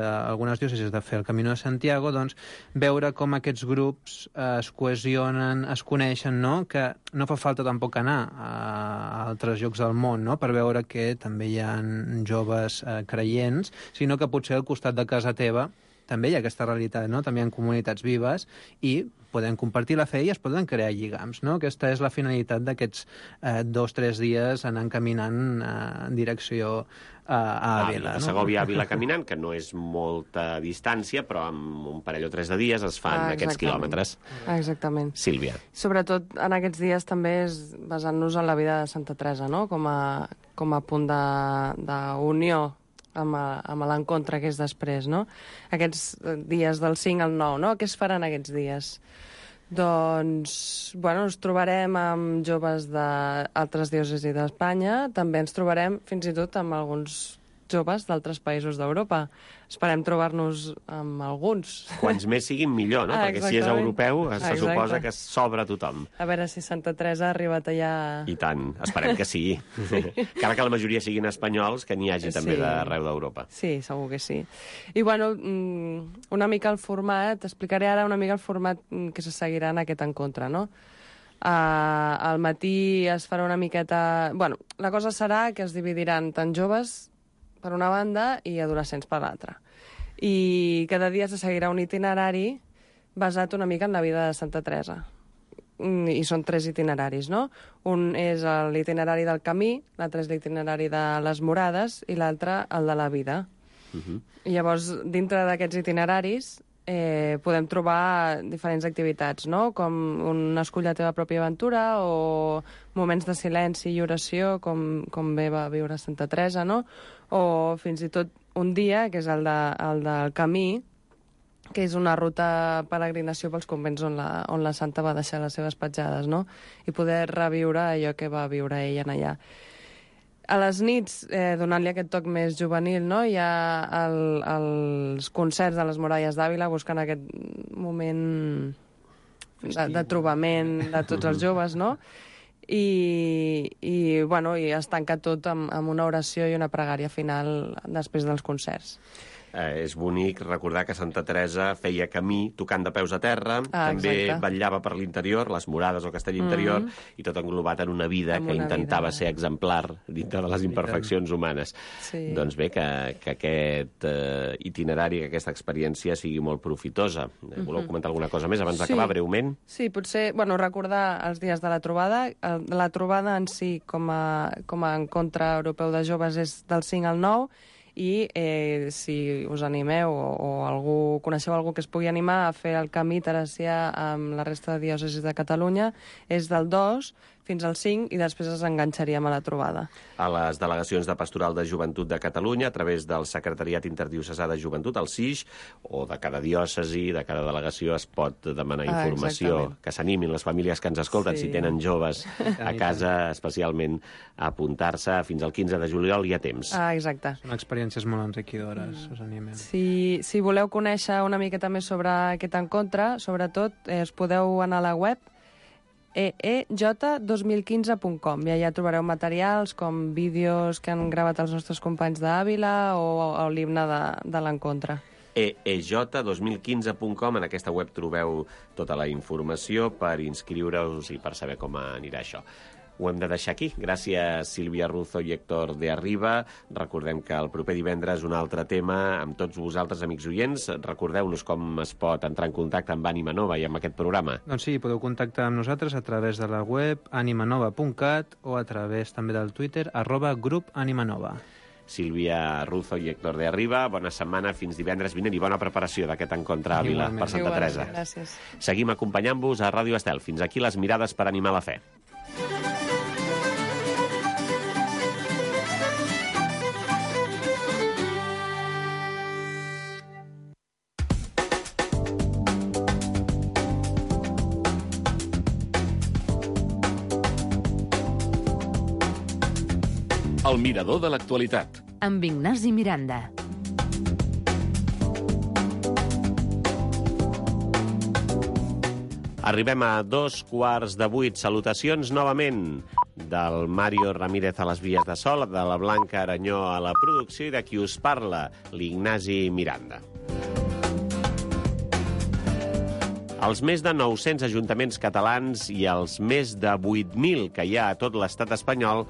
algunes diòcesis de fer el Camino de Santiago, doncs veure com aquests grups es cohesionen, es coneixen, no? Que no fa falta tampoc anar a altres llocs del món, no? Per veure que també hi ha joves creients, sinó que potser al costat de casa teva també hi ha aquesta realitat, no? També hi ha comunitats vives i podem compartir la fe i es poden crear lligams, no? Aquesta és la finalitat d'aquests 2 o 3 dies anant caminant en direcció a Àvila. A Segòvia, Àvila caminant, que no és molta distància, però amb un parell o 3 de dies es fan aquests quilòmetres. Exactament. Sílvia. Sobretot en aquests dies també és basant-nos en la vida de Santa Teresa, no? Com a punt d'unió amb l'encontre que és després, no? Aquests dies del 5 al 9, no? Què es faran aquests dies? Doncs, bueno, ens trobarem amb joves d'altres diòcesis d'Espanya, també ens trobarem fins i tot amb alguns joves d'altres països d'Europa. Esperem trobar-nos amb alguns. Quants més siguin millor, no? Perquè si és europeu se suposa que s'obre a tothom. A veure si Santa Teresa ha arribat allà... I tant, esperem que sí. Encara que la majoria siguin espanyols, que n'hi hagi també d'arreu d'Europa. Sí, segur que sí. I bueno, una mica el format, explicaré ara una mica el format que se seguirà en aquest encontre, no? Al matí es farà una miqueta... Bueno, la cosa serà que es dividiran tant joves per una banda i adolescents per l'altra. I cada dia se seguirà un itinerari basat una mica en la vida de Santa Teresa. I són 3 itineraris, no? Un és l'itinerari del camí, l'altre és l'itinerari de les morades i l'altre el de la vida. I llavors, dintre d'aquests itineraris, podem trobar diferents activitats, no? Com un escull la teva pròpia aventura o moments de silenci i oració, com bé va viure Santa Teresa, no? O fins i tot un dia, que és el del camí, que és una ruta peregrinació pels convents on la santa va deixar les seves petjades, no? I poder reviure allò que va viure ella en allà. A les nits, donant-li aquest toc més juvenil, no? Hi ha els concerts de les Muralles d'Àvila buscant aquest moment de trobament de tots els joves, no? I es tanca tot amb una oració i una pregària final després dels concerts. És bonic recordar que Santa Teresa feia camí tocant de peus a terra, també vetllava per l'interior, les morades o castell interior, i tot englobat en una vida que intentava ser exemplar dintre de les imperfeccions humanes. Doncs bé, que aquest itinerari, que aquesta experiència sigui molt profitosa. Voleu comentar alguna cosa més abans d'acabar, breument? Sí, potser recordar els dies de la trobada. La trobada en si, com a encontre europeu de joves, és del 5 al 9, i si us animeu o coneixeu algú que es pugui animar a fer el camí teresià amb la resta de diòcesis de Catalunya, és del 2 fins al 5 i després ens enganxaríem a la trobada. A les delegacions de Pastoral de Joventut de Catalunya, a través del Secretariat Interdiocesà de Joventut, el SIJ, o de cada diòcesi, de cada delegació es pot demanar informació, que s'animin les famílies que ens escolten, si tenen joves a casa, especialment a apuntar-se. Fins al 15 de juliol hi ha temps. Exacte. Són experiències molt enriquidores, us animem. Si voleu conèixer una miqueta més sobre aquest encontre, sobretot us podeu anar a la web eej2015.com i allà trobareu materials com vídeos que han gravat els nostres companys d'Àvila o l'himne de l'encontre. eej2015.com, en aquesta web trobeu tota la informació per inscriure-us i per saber com anirà això. Ho hem de deixar aquí. Gràcies, Sílvia Ruzo i Héctor de Arriba. Recordem que el proper divendres un altre tema amb tots vosaltres, amics oients. Recordeu-nos com es pot entrar en contacte amb Ànima Nova i amb aquest programa. Doncs sí, podeu contactar amb nosaltres a través de la web animanova.cat o a través també del Twitter @grup_animanova. Sílvia Ruzo i Héctor de Arriba, bona setmana, fins divendres vinent i bona preparació d'aquest encontre a Àvila per Santa Teresa. Gràcies. Seguim acompanyant-vos a Ràdio Estel. Fins aquí les mirades per animar la fe. El mirador de l'actualitat. Amb Ignasi Miranda. Arribem a 7:15. Salutacions novament. del Mario Ramírez a les vies de so, de la Blanca Aranyó a la producció i de qui us parla, l'Ignasi Miranda. Els més de 900 ajuntaments catalans i els més de 8.000 que hi ha a tot l'estat espanyol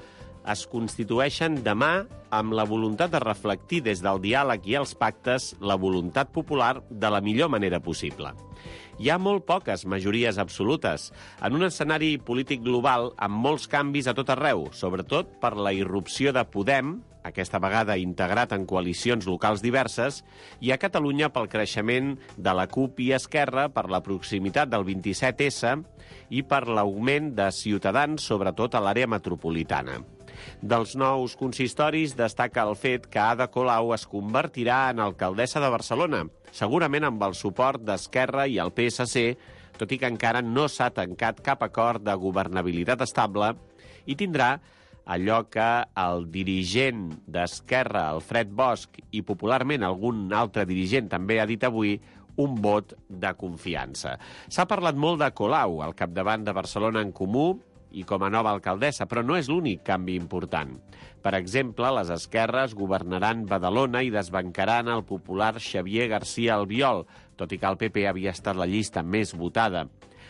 es constitueixen demà amb la voluntat de reflectir des del diàleg i els pactes la voluntat popular de la millor manera possible. Hi ha molt poques majories absolutes, en un escenari polític global amb molts canvis a tot arreu, sobretot per la irrupció de Podem, aquesta vegada integrat en coalicions locals diverses, i a Catalunya pel creixement de la CUP i Esquerra, per la proximitat del 27S i per l'augment de Ciutadans, sobretot a l'àrea metropolitana. Dels nous consistoris destaca el fet que Ada Colau es convertirà en alcaldessa de Barcelona, segurament amb el suport d'Esquerra i el PSC, tot i que encara no s'ha tancat cap acord de governabilitat estable, i tindrà allò que el dirigent d'Esquerra, Alfred Bosch, i popularment algun altre dirigent també ha dit avui, un vot de confiança. S'ha parlat molt de Colau, al capdavant de Barcelona en Comú, i com a nova alcaldessa, però no és l'únic canvi important. Per exemple, les esquerres governaran Badalona i desbancaran el popular Xavier García Albiol, tot i que el PP havia estat la llista més votada.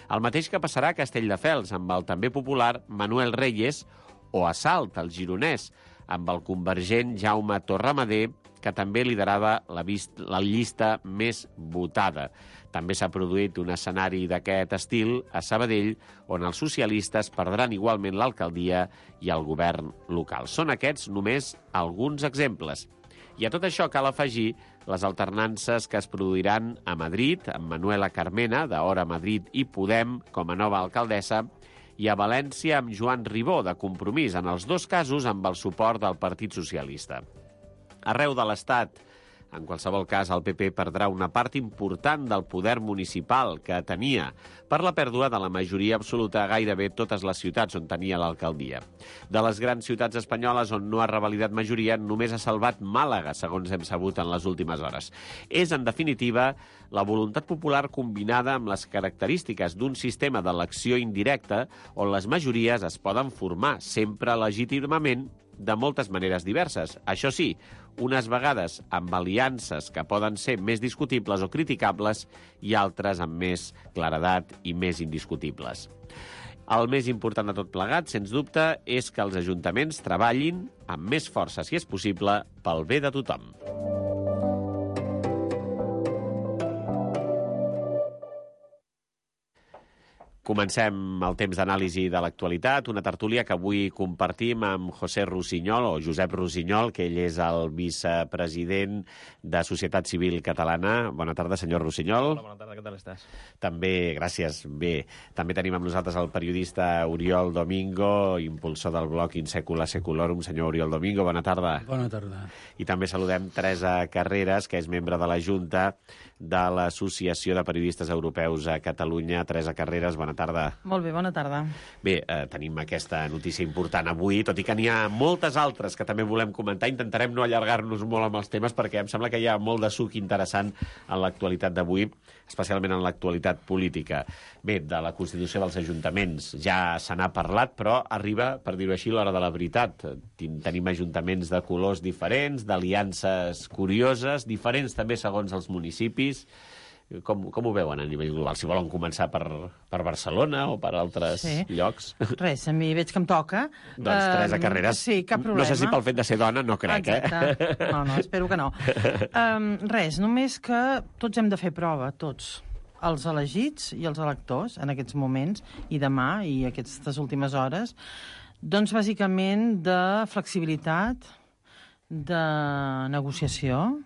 El mateix que passarà a Castelldefels, amb el també popular Manuel Reyes, o a Salt, el gironès, amb el convergent Jaume Torramadé, que també liderava la llista més votada. També s'ha produït un escenari d'aquest estil a Sabadell, on els socialistes perdran igualment l'alcaldia i el govern local. Són aquests només alguns exemples. I a tot això cal afegir les alternances que es produiran a Madrid, amb Manuela Carmena, d'Hora Madrid i Podem, com a nova alcaldessa, i a València amb Joan Ribó, de Compromís, en els dos casos amb el suport del Partit Socialista. Arreu de l'Estat, en qualsevol cas, el PP perdrà una part important del poder municipal que tenia per la pèrdua de la majoria absoluta a gairebé totes les ciutats on tenia l'alcaldia. De les grans ciutats espanyoles on no ha revalidat majoria, només ha salvat Màlaga, segons hem sabut en les últimes hores. És, en definitiva, la voluntat popular combinada amb les característiques d'un sistema d'elecció indirecta on les majories es poden formar, sempre legítimament, de moltes maneres diverses. Això sí, unes vegades amb aliances que poden ser més discutibles o criticables i altres amb més claredat i més indiscutibles. El més important de tot plegat, sens dubte, és que els ajuntaments treballin amb més força, si és possible, pel bé de tothom. Comencem el temps d'anàlisi de l'actualitat, una tertúlia que avui compartim amb José Rossinyol, o Josep Rossinyol, que ell és el vicepresident de Societat Civil Catalana. Bona tarda, senyor Rossinyol. Hola, bona tarda, què tal estàs? També, gràcies, bé. També tenim amb nosaltres el periodista Oriol Domingo, impulsor del blog In Secula Seculorum. Senyor Oriol Domingo, bona tarda. Bona tarda. I també saludem Teresa Carreras, que és membre de la Junta de l'Associació de Periodistes Europeus a Catalunya. Teresa Carreras, bona tarda. Molt bé, bona tarda. Bé, tenim aquesta notícia important avui, tot i que n'hi ha moltes altres que també volem comentar. Intentarem no allargar-nos molt amb els temes perquè em sembla que hi ha molt de suc interessant en l'actualitat d'avui, especialment en l'actualitat política. Bé, de la Constitució dels Ajuntaments ja se n'ha parlat, però arriba, per dir-ho així, l'hora de la veritat. Tenim ajuntaments de colors diferents, d'aliances curioses, diferents també segons els municipis. Com ho veuen a nivell global? Si volen començar per Barcelona o per altres llocs. Res, a mi veig que em toca. Doncs Teresa Carreras, sí, cap problema. No sé si pel fet de ser dona, no crec, exacte. No, espero que no. Res, només que tots hem de fer prova, tots. Els elegits i els electors, en aquests moments, i demà, i aquestes últimes hores, doncs bàsicament de flexibilitat, de negociació,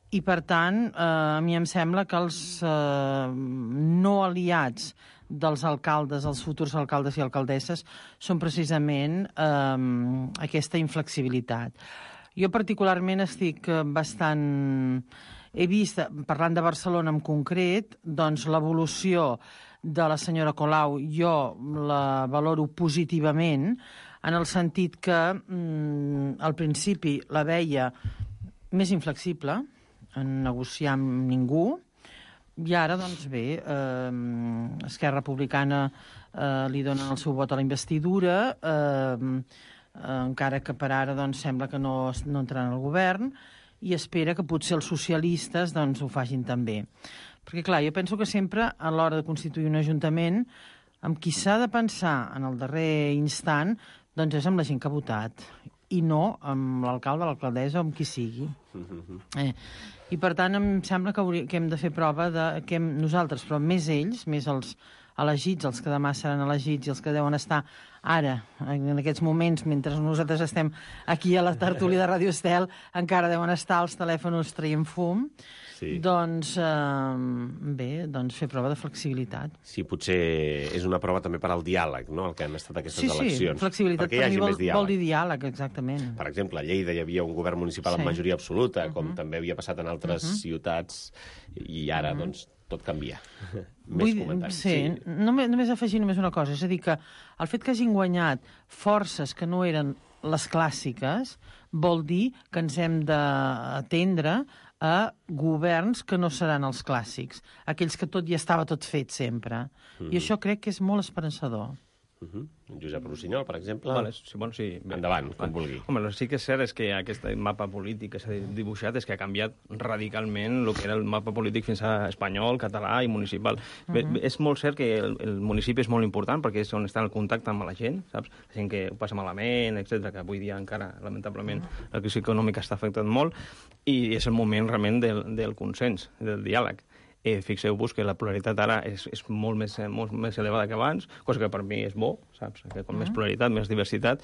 i, per tant, a mi em sembla que els no aliats dels alcaldes, els futurs alcaldes i alcaldesses, són precisament aquesta inflexibilitat. Jo particularment estic bastant... He vist, parlant de Barcelona en concret, doncs l'evolució de la senyora Colau jo la valoro positivament, en el sentit que al principi la veia més inflexible, en negociar amb ningú, I ara, doncs bé, Esquerra Republicana li donen el seu vot a la investidura, encara que per ara doncs, sembla que no entraran al govern, i espera que potser els socialistes doncs, ho facin també. Perquè, clar, jo penso que sempre, a l'hora de constituir un ajuntament, amb qui s'ha de pensar en el darrer instant, doncs és amb la gent que ha votat, i no amb l'alcalde, l'alcaldessa o amb qui sigui. I, per tant, em sembla que hem de fer prova que nosaltres, però més ells, més els elegits, els que demà seran elegits i els que deuen estar ara, en aquests moments, mentre nosaltres estem aquí a la tertúlia de Ràdio Estel, encara deuen estar els telèfons traient fum. Sí. Doncs, bé, doncs fer prova de flexibilitat. Sí, potser és una prova també per al diàleg, no?, el que han estat aquestes eleccions. Sí, flexibilitat per mi vol dir diàleg, exactament. Per exemple, a Lleida hi havia un govern municipal amb majoria absoluta, com també havia passat en altres ciutats, i ara, doncs, tot canvia. Més comentaris. Sí, només afegir una cosa, és a dir, que el fet que hagin guanyat forces que no eren les clàssiques vol dir que ens hem d'atendre a governs que no seran els clàssics, aquells que tot ja estava tot fet sempre. I això crec que és molt esperançador. Josep Rossinyol, per exemple. Vale, sí. Endavant, com vulgui. Home, sí que és cert és que aquest mapa polític que s'ha dibuixat és que ha canviat radicalment el que era el mapa polític fins a espanyol, català i municipal. És molt cert que el municipi és molt important perquè és on està el contacte amb la gent, saps? La gent que ho passa malament, etc, que avui dia encara, lamentablement, la crisi econòmica està afectant molt, i és el moment realment del consens, del diàleg. Fixeu-vos que la pluralitat ara és molt més elevada que abans, cosa que per mi és bo, saps? Que com més pluralitat, més diversitat,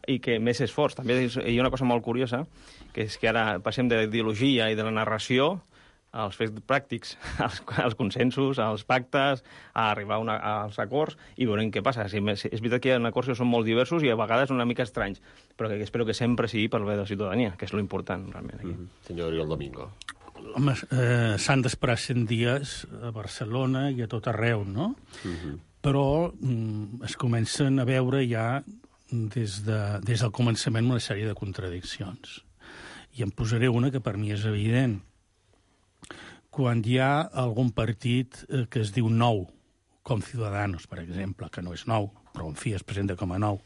i que més esforç. També hi ha una cosa molt curiosa, que és que ara passem de l'ideologia i de la narració als fets pràctics, als consensos, als pactes, a arribar als acords, i veurem què passa. És veritat que hi ha acords que són molt diversos i a vegades una mica estranys, però que espero que sempre sigui pel bé de la ciutadania, que és lo important, realment. Aquí. Senyor Oriol Domingo. Home, s'han d'esperar 100 dies a Barcelona i a tot arreu, no? Però es comencen a veure ja des del començament una sèrie de contradiccions. I em posaré una que per mi és evident. Quan hi ha algun partit que es diu nou, com Ciudadanos, per exemple, que no és nou, però en fi es presenta com a nou.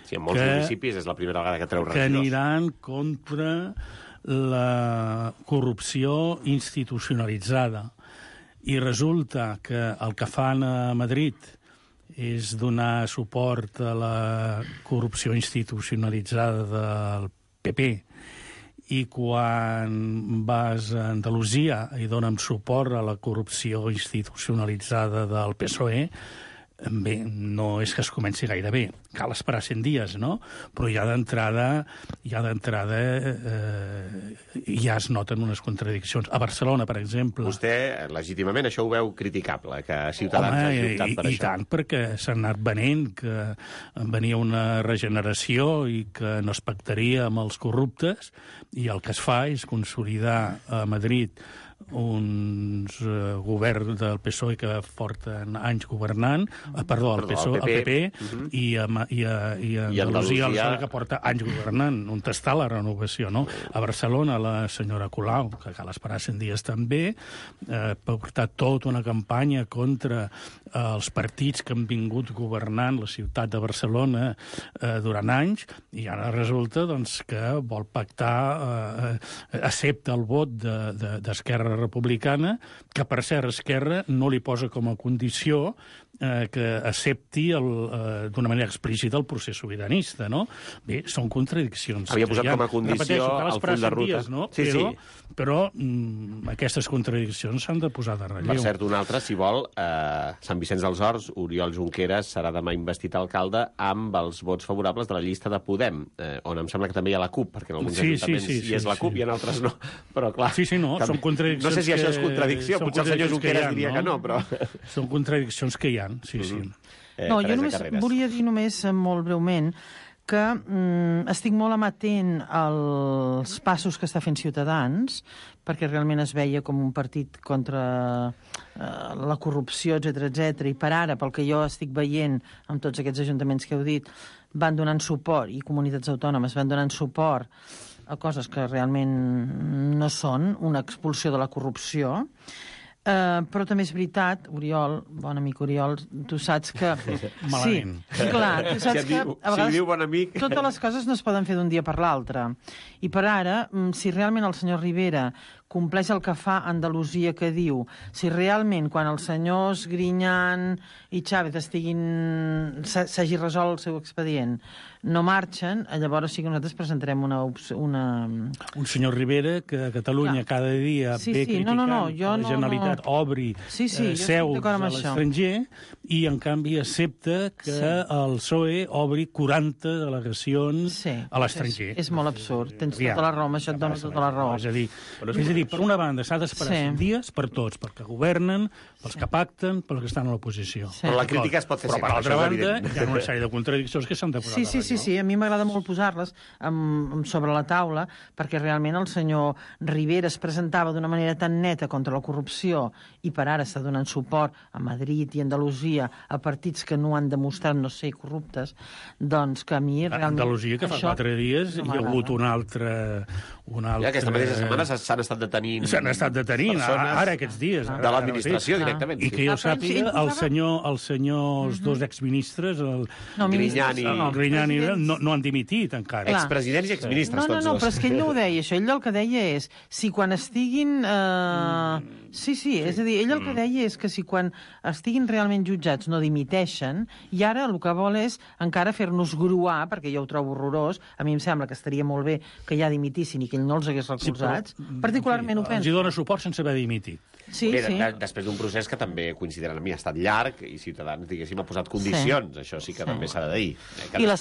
Sí, en molts municipis és la primera vegada que treu regidors. Que aniran contra la corrupció institucionalitzada. I resulta que el que fan a Madrid és donar suport a la corrupció institucionalitzada del PP, i quan vas a Andalusia i donen suport a la corrupció institucionalitzada del PSOE, bé, no és que es comenci gaire bé. Cal esperar 100 dies, no? Però ja d'entrada ja es noten unes contradiccions. A Barcelona, per exemple... Vostè, legítimament, això ho veu criticable, que Ciutadans hagi optat per això. I tant, perquè s'ha anat venent que venia una regeneració i que no es pactaria amb els corruptes, i el que es fa és consolidar a Madrid uns governs del PSOE que porten anys governant, el PP, i a Andalusia el PSOE que porta anys governant, on està la renovació, no? A Barcelona la senyora Colau, que cal esperar 100 dies també, ha portat tota una campanya contra els partits que han vingut governant la ciutat de Barcelona durant anys, i ara resulta doncs, que vol pactar, accepta el vot d'Esquerra Republicana, que per cert Esquerra no li posa com a condició que accepti d'una manera explícita el procés sobiranista, no? Bé, són contradiccions. Havia posat com a condició el full de ruta. Dies, no? Però aquestes contradiccions s'han de posar de relleu. Per cert, un altre, si vol, Sant Vicenç dels Horts, Oriol Junqueras serà demà investit alcalde amb els vots favorables de la llista de Podem, on em sembla que també hi ha la CUP, perquè en alguns ajuntaments hi és la CUP i en altres no. Però clar... són contradiccions. No sé si això és contradicció, potser el senyor Junqueras diria que no, però... Són contradiccions que hi ha, sí. No, jo només volia dir molt breument que estic molt amatent als passos que està fent Ciutadans, perquè realment es veia com un partit contra la corrupció, etc, i per ara, pel que jo estic veient amb tots aquests ajuntaments que heu dit, van donant suport, i comunitats autònomes van donant suport a coses que realment no són una expulsió de la corrupció. Però també és veritat, Oriol, bon amic Oriol, tu saps que... Malament. Sí, clar, tu saps que a vegades diu bon amic... totes les coses no es poden fer d'un dia per l'altre. I per ara, si realment el senyor Rivera compleix el que fa Andalusia que diu, si realment quan els senyors Griñán i Chávez s'hagi resolt el seu expedient, no marxen, llavors sí que nosaltres presentarem una... Un senyor Rivera que a Catalunya cada dia ve criticant la Generalitat obri seus a l'estranger i en canvi accepta que el PSOE obri 40 delegacions a l'estranger. És molt absurd, tens tota la raó, amb això et dono tota la raó. És a dir, per una banda s'ha d'esperar 5 dies per tots, perquè governen, pels que pacten, pels que estan a l'oposició. Però la crítica es pot fer sempre. Però per l'altra banda hi ha una sèrie de contradiccions que s'han de posar. Sí, a mi m'agrada molt posar-les sobre la taula, perquè realment el senyor Rivera es presentava d'una manera tan neta contra la corrupció i per ara està donant suport a Madrid i Andalusia a partits que no han demostrat no ser corruptes, doncs que a mi realment... Andalusia, que fa 4 dies hi ha hagut un altre... Ja, aquesta mateixa setmana s'han estat detenint... S'han estat detenint, ara aquests dies. De l'administració, directament. I que jo sàpiga, els senyors dos exministres, el Griñán i no han dimitit encara. Expresidents i exministres, tots dos. No, però és que ell no ho deia, això. Ell el que deia és, si quan estiguin... Sí, és a dir, ell el que deia és que si quan estiguin realment jutjats no dimiteixen, i ara el que vol és encara fer-nos gruar, perquè jo ho trobo horrorós, a mi em sembla que estaria molt bé que ja dimitissin i que ell no els hagués recolzats, particularment ho penso. Els dona suport sense haver dimitit. Sí. Després d'un procés que també, consideren a mi, ha estat llarg i Ciutadans, diguéssim, ha posat condicions. Això sí que també s'ha de dir. I la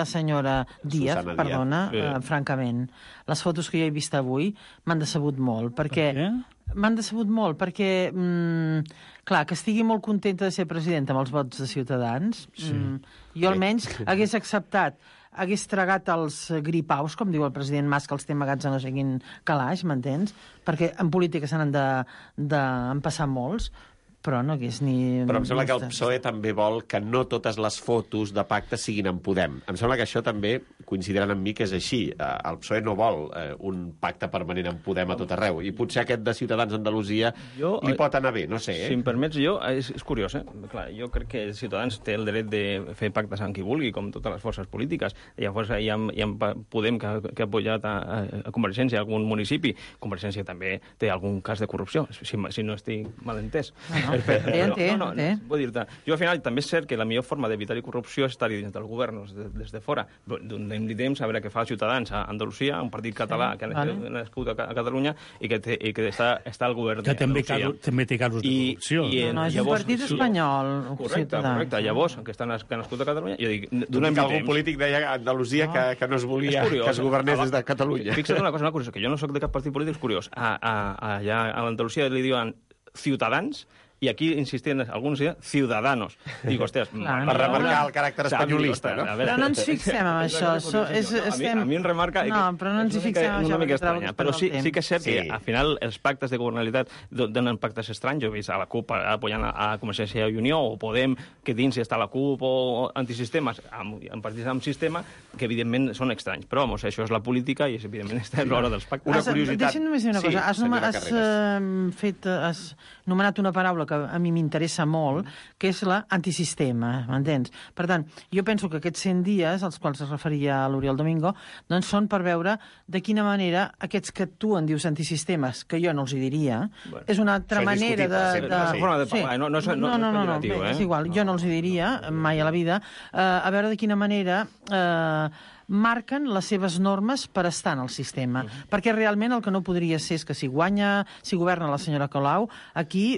senyora Díaz, perdona, francament, les fotos que jo he vist avui m'han decebut molt, perquè... M'han decebut molt, perquè, clar, que estigui molt contenta de ser presidenta amb els vots de Ciutadans, jo almenys hagués acceptat, hagués tragat els gripaus, com diu el president Mas, que els té amagats a no sé quin calaix, m'entens? Perquè en política se n'han d'empassar molts, però no hagués ni... Però em sembla que el PSOE també vol que no totes les fotos de pacte siguin en Podem. Em sembla que això també coincidiran amb mi que és així. El PSOE no vol un pacte permanent en Podem a tot arreu. I potser aquest de Ciutadans Andalusia li pot anar bé, no sé. Si em permets, és curiós, Clar, jo crec que Ciutadans té el dret de fer pactes amb qui vulgui, com totes les forces polítiques. Llavors hi ha Podem que ha apoyat a Convergència a algun municipi. Convergència també té algun cas de corrupció, si no estic mal entès. Vull dir-te, jo al final també és cert que la millor forma d'evitar corrupció és estar-hi dins del govern, des de fora. Donem-li temps a veure què fa Ciutadans a Andalusia, un partit català que ha nascut a Catalunya i que està al govern d'Andalusia. Que també té casos de corrupció. No, és un partit espanyol. Correcte. Llavors, que ha nascut a Catalunya, jo dic, donem-li temps. Algun polític deia a Andalusia que no es volia que es governés des de Catalunya. Fixa't una cosa curiosa, que jo no soc de cap partit polític, és curiós. Allà a l'Andalusia li diuen Ciutadans, i aquí insistien alguns Ciudadanos. Dic, hòsties... Per remarcar el caràcter espanyolista, no? Però no ens fixem en això. A mi em remarca... No, però no ens hi fixem en això. Una mica estranya. Però sí que és cert que, al final, els pactes de governabilitat donen pactes estranys. Jo he vist a la CUP apoyant a Convergència i Unió, o Podem, que dins està la CUP, o antisistemes, en partits amb sistema, que evidentment són estranys. Però, vamos, això és la política i, evidentment, està en l'hora dels pactes. Una curiositat... Deixa'm només dir una cosa. Has nomenat una paraula que a mi m'interessa molt, que és l'antisistema, m'entens? Per tant, jo penso que aquests 100 dies, als quals es referia l'Oriol Domingo, doncs són per veure de quina manera aquests que tu en dius antisistemes, que jo no els hi diria, és una altra manera de... No, és igual, jo no els hi diria mai a la vida, a veure de quina manera... marquen les seves normes per estar en el sistema. Perquè realment el que no podria ser és que si governa la senyora Colau, aquí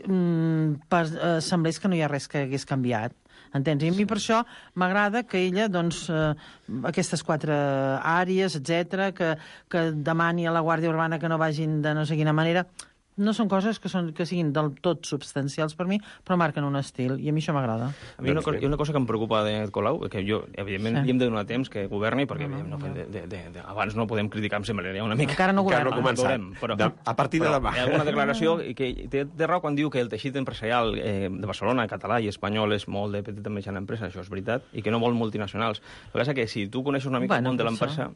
semblés que no hi ha res que hagués canviat. Entens? I a mi per això m'agrada que ella, doncs, aquestes 4 àrees, etc, que demani a la Guàrdia Urbana que no vagin de no sé quina manera... No són coses que siguin del tot substancials per mi, però marquen un estil, i a mi això m'agrada. A mi hi ha una cosa que em preocupa de Colau, que jo, evidentment, li hem de donar temps que governi, perquè abans no podem criticar, em sembla, una mica... Encara no començat. A partir de demà. Hi ha alguna declaració que té raó quan diu que el teixit empresarial de Barcelona, català i espanyol és molt de petita i mitjana empresa, això és veritat, i que no vol multinacionals. El que passa és que si tu coneixes una mica el món de l'empresa...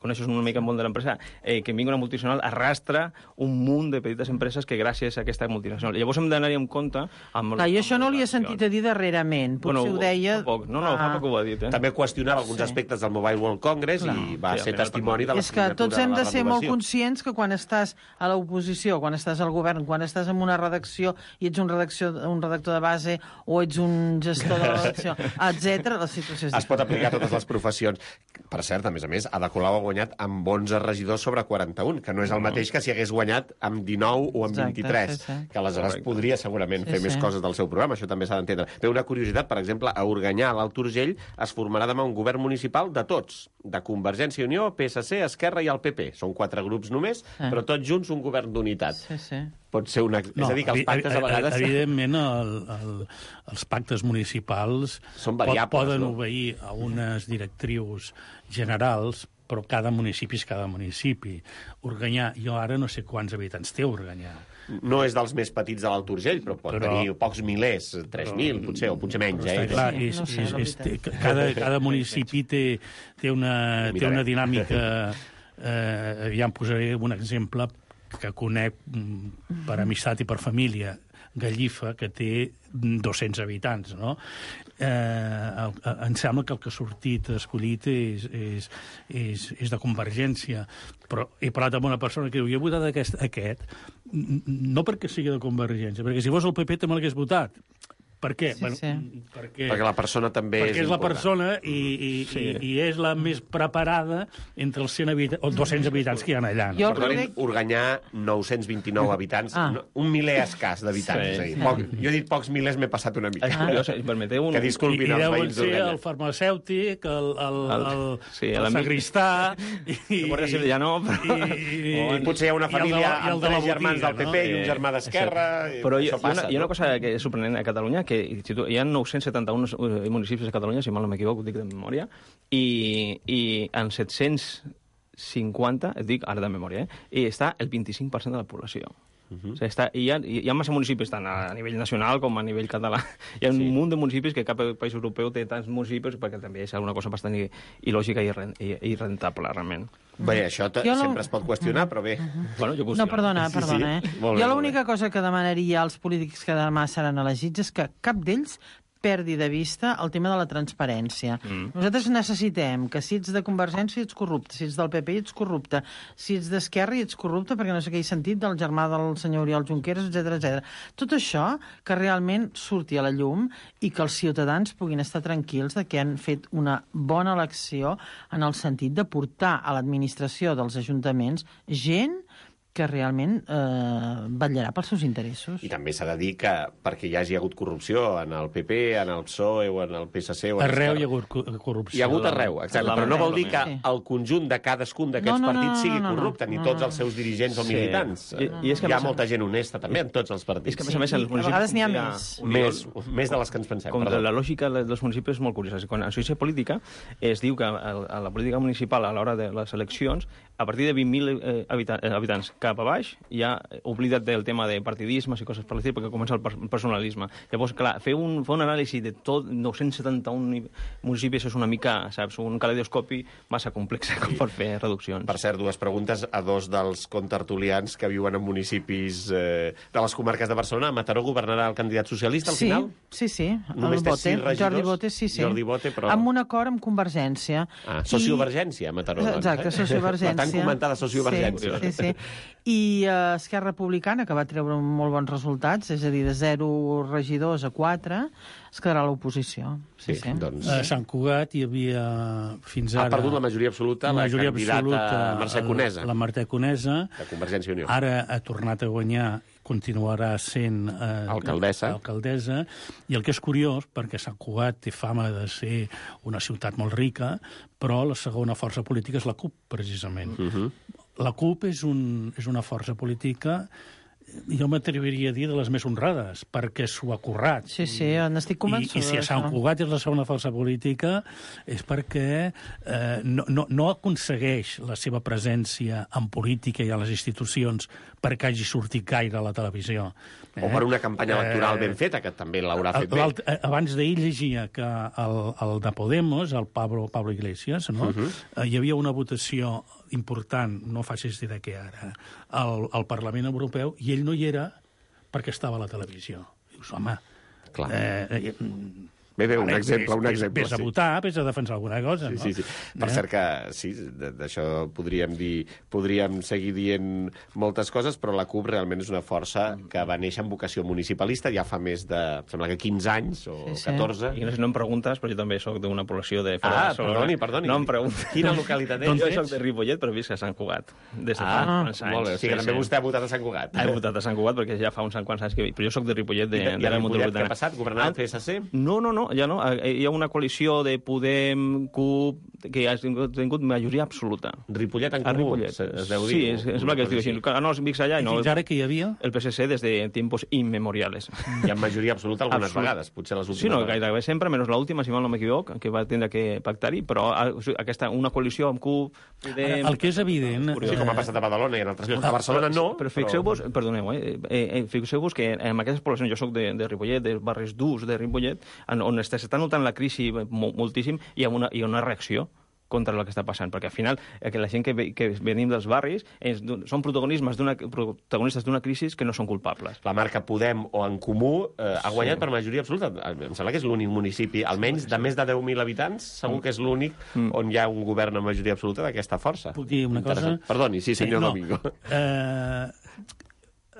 coneixes una mica el món de l'empresa, que vingui una multinacional arrastra un munt de petites empreses que gràcies a aquesta multinacional. Llavors hem d'anar-hi en compte... Clar, jo això no li he sentit a dir darrerament. Potser ho deia... No, fa poc ho ha dit. També qüestionava alguns aspectes del Mobile World Congress i va ser testimoni de la signatura de la renovació. És que tots hem de ser molt conscients que quan estàs a l'oposició, quan estàs al govern, quan estàs en una redacció i ets un redactor de base o ets un gestor de la redacció, etc., la situació és diferent. Es pot aplicar a totes les professions. Per cert, a més, Ada Colau ha guanyat amb 11 regidors sobre 41, que no és el mateix que si hagués guanyat amb 19 o amb 23, que aleshores podria segurament fer més coses del seu programa, això també s'ha d'entendre. Té una curiositat, per exemple, a Organyà, a l'Alt Urgell, es formarà demà un govern municipal de tots, de Convergència i Unió, PSC, Esquerra i el PP. Són 4 grups només, però tots junts un govern d'unitat. Pot ser una... És a dir, que els pactes a vegades... Evidentment, els pactes municipals poden obeir a unes directrius generals, però cada municipi és cada municipi. Organyà, jo ara no sé quants habitants té Organyà. No és dels més petits de l'Alt Urgell, però pot tenir pocs milers, 3.000, potser, o potser menys. Cada municipi té una dinàmica... Ja em posaré un exemple que conec per amistat i per família, Gallifa, que té 200 habitants, no? Em sembla que el que ha sortit escollit és de Convergència, però he parlat amb una persona que diu, jo he votat aquest, no perquè sigui de Convergència, perquè si fos el PP també l'hagués votat. Per què? Perquè la persona també és important. Perquè és la persona i és la més preparada entre els 100 habitants, o 200 habitants que hi ha allà. Perdonin, Organyà, 929 habitants, un miler escàs d'habitants. Jo he dit pocs milers, m'he passat una mica. Que disculpin els veïns d'Organyà. I el farmacèutic, el sagristà... La Guàrdia Civil ja no, però... I potser hi ha una família amb 3 germans del PP i un germà d'Esquerra... Però hi ha una cosa que és sorprenent a Catalunya, que hi ha 971 municipis a Catalunya, si mal no m'equivoco, ho dic de memòria, i en 750, et dic ara de memòria, i està el 25% de la població. O sigui, hi ha massa municipis, tant a nivell nacional com a nivell català. Hi ha un munt de municipis que cap país europeu té tants municipis, perquè també és una cosa bastant il·lògica i irrentable, realment. Bé, això sempre es pot qüestionar, però bé. No, perdona. Jo l'única cosa que demanaria als polítics que demà seran elegits és que cap d'ells perdi de vista el tema de la transparència. Nosaltres necessitem que si ets de Convergència ets corrupte, si ets del PP ets corrupte, si ets d'Esquerra ets corrupte, perquè no sé què he sentit del germà del senyor Oriol Junqueras, etc. Tot això que realment surti a la llum i que els ciutadans puguin estar tranquils de que han fet una bona elecció en el sentit de portar a l'administració dels ajuntaments gent que realment vetllarà pels seus interessos. I també s'ha de dir que perquè hi hagi hagut corrupció en el PP, en el PSOE o en el PSC... Arreu hi ha hagut corrupció. Hi ha hagut arreu, exacte. Però no vol dir que el conjunt de cadascun d'aquests partits sigui corrupte, ni tots els seus dirigents o militants. Hi ha molta gent honesta, també, en tots els partits. És que, a més, els municipis... A vegades n'hi ha més. Més de les que ens pensem. Com la lògica dels municipis és molt curiosa. Quan es diu política, es diu que a la política municipal, a l'hora de les eleccions, a partir de 20.000 habitants cap a baix, ja oblida't del tema de partidismes i coses per l'estil, perquè comença el personalisme. Llavors, clar, fer un anàlisi de tot 971 municipis és una mica, saps, un caleidoscopi massa complex com per fer reduccions. Per cert, 2 preguntes a 2 dels contertulians que viuen en municipis de les comarques de Barcelona. A Mataró governarà el candidat socialista al final? Sí. Només té 6 regidors? Jordi Bote, però... Amb un acord amb Convergència. Sociovergència, a Mataró. Exacte, sociovergència. La tan comentada sociovergència. Sí. I Esquerra Republicana, que va treure molt bons resultats, és a dir, de 0 regidors a 4, es quedarà a l'oposició. Doncs... A Sant Cugat hi havia fins ara... Ha perdut la majoria absoluta la candidata Mercè Conesa. La Mercè Conesa. De Convergència i Unió. Ara ha tornat a guanyar, continuarà sent alcaldessa, i el que és curiós, perquè Sant Cugat té fama de ser una ciutat molt rica, però la segona força política és la CUP, precisament. La CUP és una força política jo m'atreviria a dir de les més honrades, perquè s'ho ha currat. Sí, n'estic convençuda. I si a Sant Cugat és la segona força política és perquè no aconsegueix la seva presència en política i a les institucions perquè hagi sortit gaire a la televisió. O per una campanya electoral ben feta, que també l'haurà fet bé. Abans d'ahir llegia que el de Podemos, el Pablo Iglesias, no? Hi havia una votació important, no facis dir de què ara, al Parlament Europeu, i ell no hi era perquè estava a la televisió. Dius, home... Clar. Bé, un exemple. Vés a votar, vés a defensar alguna cosa, no? Sí. Per cert que, sí, d'això podríem seguir dient moltes coses, però la CUP realment és una força que va néixer amb vocació municipalista ja fa més de, sembla que 15 anys o 14. I no em preguntes, però jo també soc d'una població de fora de Barcelona. Perdoni. No em preguntes. Quina localitat ets? Jo soc de Ripollet, però visc a Sant Cugat. Des de fa uns anys. Molt bé. O sigui que també vostè ha votat a Sant Cugat. He votat a Sant Cugat perquè ja fa uns quants anys que... Però jo soc de Ripollet, de l'àrea metropolitana. Què ha passat? Governava el PSC? No, ja no. Hi ha una coalició de Podem, CUP, que ha tingut majoria absoluta. Ripollet en comú, es deu dir. Sí, és que es diu així. No, vics allà i no... Fins ara que hi havia? El PSC des de tiempos inmemoriales. I amb majoria absoluta algunes vegades, potser les últimes. Sí, no, gairebé sempre, menys l'última, si mal no m'equivoc, que va tindre que pactar-hi, però una coalició amb CUP, Podem... El que és evident... Sí, com ha passat a Badalona i en altres llocs. A Barcelona no, però fixeu-vos, perdoneu, fixeu-vos que en aquestes poblacions, jo soc de Ripollet, dels barris durs de Ripollet, on s'està notant la crisi moltíssim, hi ha una reacció contra el que està passant, perquè al final la gent que venim dels barris són protagonistes d'una crisi que no són culpables. La marca Podem o En Comú ha guanyat per majoria absoluta. Em sembla que és l'únic municipi, almenys de més de 10.000 habitants, segur que és l'únic on hi ha un govern amb majoria absoluta d'aquesta força. Puc dir una cosa? Perdoni, sí, senyor Domingo.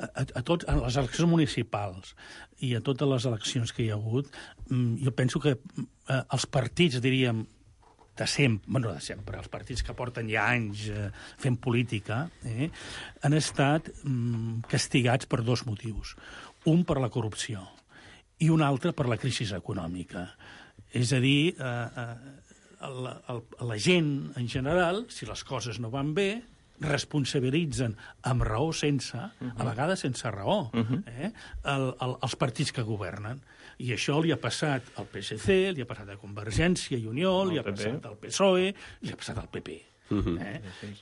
A les eleccions municipals i a totes les eleccions que hi ha hagut, jo penso que els partits, diríem, de sempre, els partits que porten ja anys fent política, han estat castigats per dos motius. Un per la corrupció i un altre per la crisi econòmica. És a dir, la gent, en general, si les coses no van bé, responsabilitzen amb raó o sense, a vegades sense raó, els partits que governen. I això li ha passat al PSC, li ha passat a Convergència i Unió, li ha passat al PSOE, li ha passat al PP.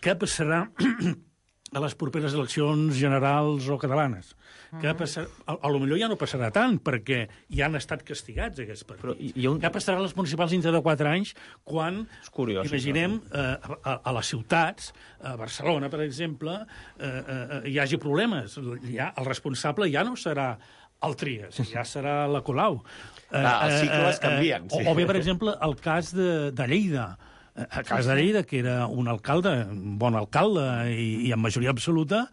Què passarà a les properes eleccions generals o catalanes? Què passarà? A lo millor ja no passarà tant, perquè ja han estat castigats aquests partits. Què passarà a les municipals dintre de 4 anys quan, imaginem, a les ciutats, a Barcelona, per exemple, hi hagi problemes. El responsable ja no serà el Trias, ja serà la Colau. Els cicles canvien. O bé, per exemple, el cas de Lleida. El cas de Lleida, que era un alcalde, un bon alcalde i amb majoria absoluta,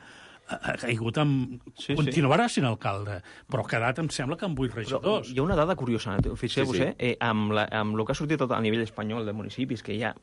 ha caigut amb... Continuarà sent alcalde, però ha quedat, em sembla, que amb 8 regidors. Hi ha una dada curiosa, fixeu-vos, amb el que ha sortit tot a nivell espanyol de municipis, que hi ha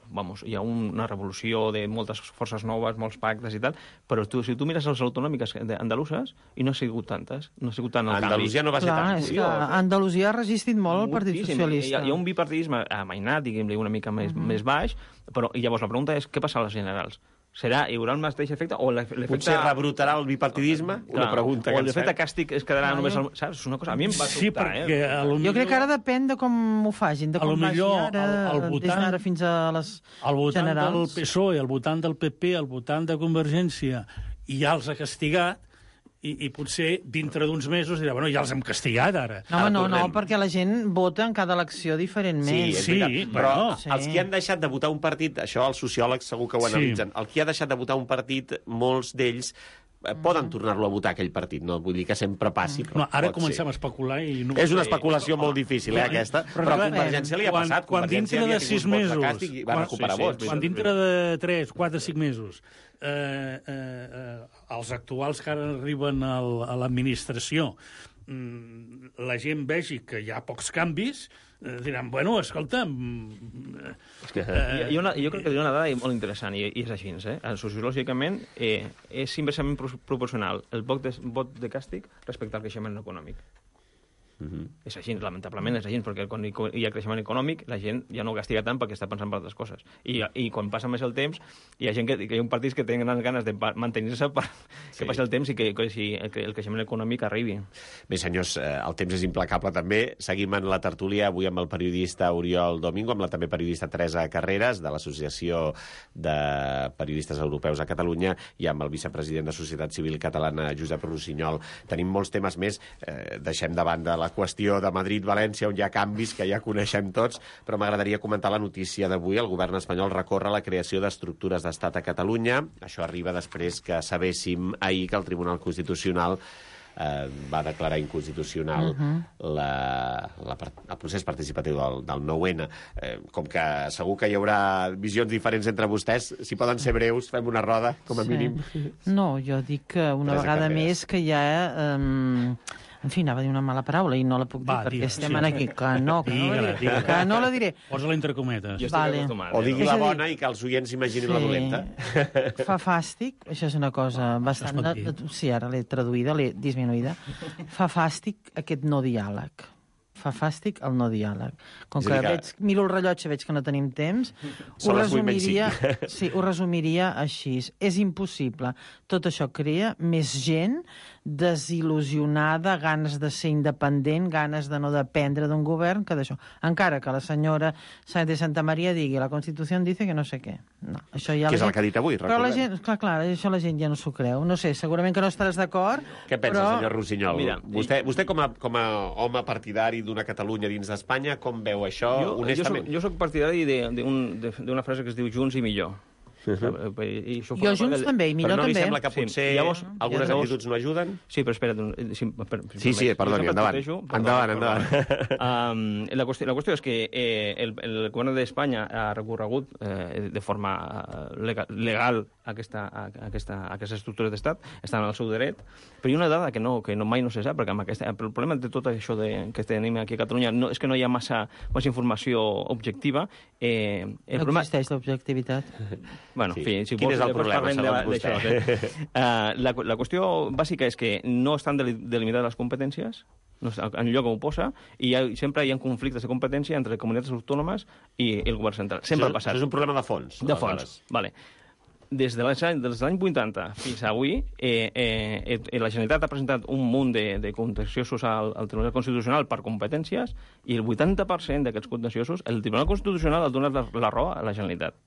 una revolució de moltes forces noves, molts pactes i tal, però si tu mires les autonòmiques andaluses, i no ha sigut tantes, no ha sigut tant el canvi. Andalusia no va ser tant. És que Andalusia ha resistit molt el Partit Socialista. Hi ha un bipartidisme amainat, diguem-li, una mica més baix, però llavors la pregunta és què passa a les generals? Hi haurà el mateix efecte o l'efecte... Potser rebrotarà el bipartidisme? Una pregunta que o l'efecte càstig es quedarà només... Saps? És una cosa... A mi em va sobtar, perquè jo crec que ara depèn de com ho facin, de com vagi ara, des d'ara fins a les generals. El votant del PSOE, el votant del PP, el votant de Convergència, i ja els ha castigat, i potser dintre d'uns mesos dirà, bueno, ja els hem castigat ara. No, perquè la gent vota en cada elecció diferentment. Sí, però els que han deixat de votar un partit, això els sociòlegs segur que ho analitzen, el que ha deixat de votar un partit, molts d'ells poden tornar-lo a votar aquell partit, no vull dir que sempre passi, però ara comencem a especular i no... És una especulació molt difícil, aquesta, però a Convergència li ha passat. Quan dintre de 6 mesos, quan dintre de 3, 4, 5 mesos, els actuals que ara arriben a l'administració, la gent vegi que hi ha pocs canvis, diran, bueno, escolta... Jo crec que hi ha una dada molt interessant, i és així, sociològicament és inversament proporcional el vot de càstig respecte al creixement econòmic. És així, lamentablement és així, perquè quan hi ha creixement econòmic la gent ja no castiga tant perquè està pensant en altres coses. I quan passa més el temps hi ha gent que hi ha partits que tenen ganes de mantenir-se que passi el temps i que el creixement econòmic arribi. Bé, senyors, el temps és implacable també. Seguim en la tertúlia avui amb el periodista Oriol Domingo, amb la també periodista Teresa Carreras, de l'Associació de Periodistes Europeus a Catalunya, i amb el vicepresident de Societat Civil Catalana, Josep Rossinyol. Tenim molts temes més. Deixem de banda la qüestió de Madrid-València, on hi ha canvis que ja coneixem tots, però m'agradaria comentar la notícia d'avui. El govern espanyol recorre la creació d'estructures d'estat a Catalunya. Això arriba després que sabéssim ahir que el Tribunal Constitucional va declarar inconstitucional el procés participatiu del 9-N. Com que segur que hi haurà visions diferents entre vostès, si poden ser breus, fem una roda, com a mínim. No, jo dic que una vegada més que hi ha... En fi, anava a dir una mala paraula i no la puc dir perquè estem aquí. Que no la diré. Posa-la entre cometes. O digui la bona i que els oients imaginin la dolenta. Fa fàstic, això és una cosa bastant... Sí, ara l'he traduïda, l'he disminuïda. Fa fàstic aquest no diàleg. Fa fàstic el no diàleg. Com que miro el rellotge, veig que no tenim temps, ho resumiria així. És impossible. Tot això crea més gent desil·lusionada, ganes de ser independent, ganes de no dependre d'un govern, que d'això. Encara que la senyora Sáenz de Santa Maria digui la Constitució dice que no sé què. No, això ja que és el que ha dit avui, recordem. Però la gent, clar, això la gent ja no s'ho creu. No sé, segurament que no estaràs d'acord. Què pensa, senyor Rossinyol? Mira, vostè com a home partidari d'una Catalunya dins d'Espanya, com veu això, honestament? Jo soc partidari d'una frase que es diu Junts i millor. Jo Junts també, i millor també. Però no li sembla que potser algunes actituds no ajuden? Sí, però espera't. Sí, perdoni, endavant. La qüestió és que el govern d'Espanya ha recorregut de forma legal aquestes estructures d'estat, estan al seu dret, però hi ha una dada que mai no se sap, perquè el problema de tot això que tenim aquí a Catalunya és que no hi ha massa informació objectiva. No existeix l'objectivitat. Bueno, sí. En fi, si Quin és el problema, segons vostè? La qüestió bàsica és que no estan delimitades les competències, en lloc on ho posa, i sempre hi ha conflictes de competència entre comunitats autònomes i el govern central. Sempre ha passat. Això és un problema de fons. De fons, vale. Des de l'any 80 fins avui, la Generalitat ha presentat un munt de contenciosos al Tribunal Constitucional per competències i el 80% d'aquests contenciosos el Tribunal Constitucional ha donat la raó a la Generalitat.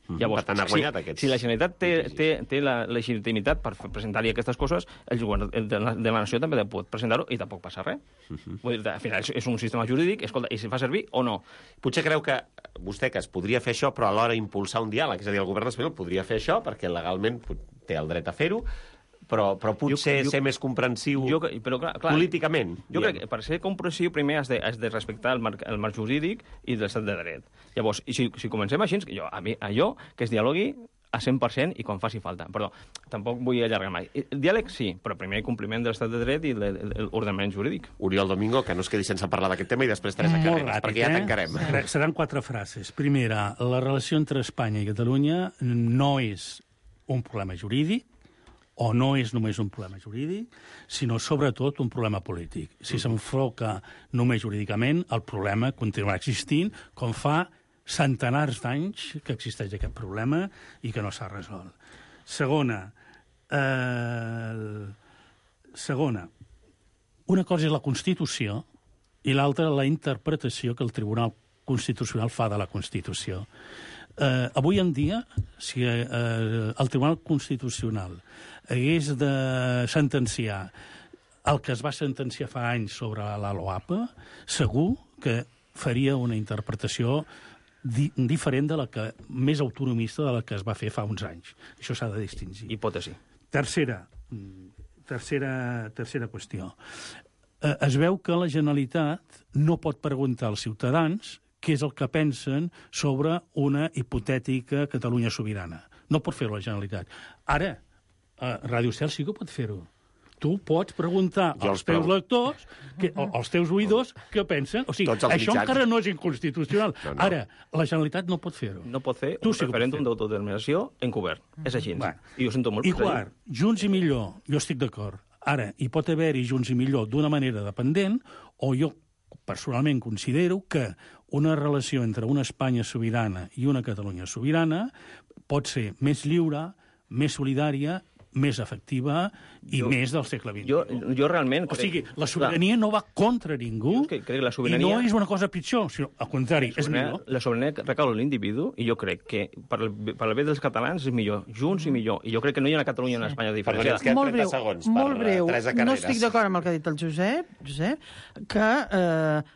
Llavors, per tant, ha guanyat aquests. Si la Generalitat té la legitimitat per presentar-hi aquestes coses, el govern de la nació també pot presentar-ho i tampoc passa res. Vull dir, al final és un sistema jurídic, escolta, i si fa servir o no. Potser creu que vostè que es podria fer això, però alhora impulsar un diàleg, és a dir, el govern espanyol podria fer això perquè legalment té el dret a fer-ho, però potser ser més comprensiu políticament. Jo crec que per ser comprensiu primer has de respectar el marc jurídic i l'estat de dret. Llavors, si comencem així, allò que es dialogui a 100% i quan faci falta. Perdó, tampoc vull allargar mai. El diàleg sí, però primer compliment de l'estat de dret i l'ordenament jurídic. Oriol Domingo, que no es quedi sense parlar d'aquest tema i després Teresa Carreras, perquè ja tancarem. Seran 4 frases. Primera, la relació entre Espanya i Catalunya no és un problema jurídic, o no és només un problema jurídic, sinó sobretot un problema polític. Si s'enfoca només jurídicament, el problema continuarà existint, com fa centenars d'anys que existeix aquest problema i que no s'ha resolt. Segona, una cosa és la Constitució i l'altra la interpretació que el Tribunal Constitucional fa de la Constitució. Avui en dia, si el Tribunal Constitucional hagués de sentenciar el que es va sentenciar fa anys sobre la LOAPA, segur que faria una interpretació diferent de la que, més autonomista de la que es va fer fa uns anys. Això s'ha de distingir. Hipòtesi. Tercera qüestió. Es veu que la Generalitat no pot preguntar als ciutadans què és el que pensen sobre una hipotètica Catalunya sobirana. No pot fer-ho la Generalitat. Ara, Ràdio Cel sí que pot fer-ho. Tu pots preguntar als teus lectors, als teus oïdors, què pensen. O sigui, això encara no és inconstitucional. Ara, la Generalitat no pot fer-ho. No pot fer un referèndum d'autodeterminació encobert. És així. I ho sento molt. I quart, Junts i millor, jo estic d'acord. Ara, hi pot haver-hi Junts i Millor d'una manera dependent, o jo personalment considero que una relació entre una Espanya sobirana i una Catalunya sobirana pot ser més lliure, més solidària, més efectiva i més del segle XXI. Jo realment... O sigui, la sobirania no va contra ningú crec que la sobirania... i no és una cosa pitjor, sinó al contrari, és millor. La sobirania recau en l'individu i jo crec que per al bé dels catalans és millor, Junts i millor. I jo crec que no hi ha una Catalunya i una Espanya diferenciada. Molt breu. No estic d'acord amb el que ha dit el Josep, que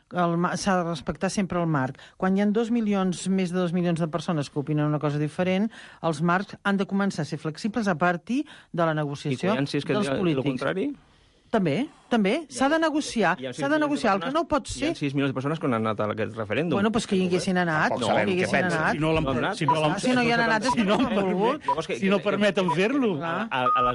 s'ha de respectar sempre el marc. Quan hi ha més de 2 milions de persones que opinen una cosa diferent, els marcs han de començar a ser flexibles a partir de la negociació dels polítics. El contrari? També. S'ha de negociar. El que no pot ser... Hi ha 6 milions de persones que han anat a aquest referèndum. Bueno, doncs que hi haguessin anat. Si no hi han anat és que no han volgut. Si no permeten fer-lo. A les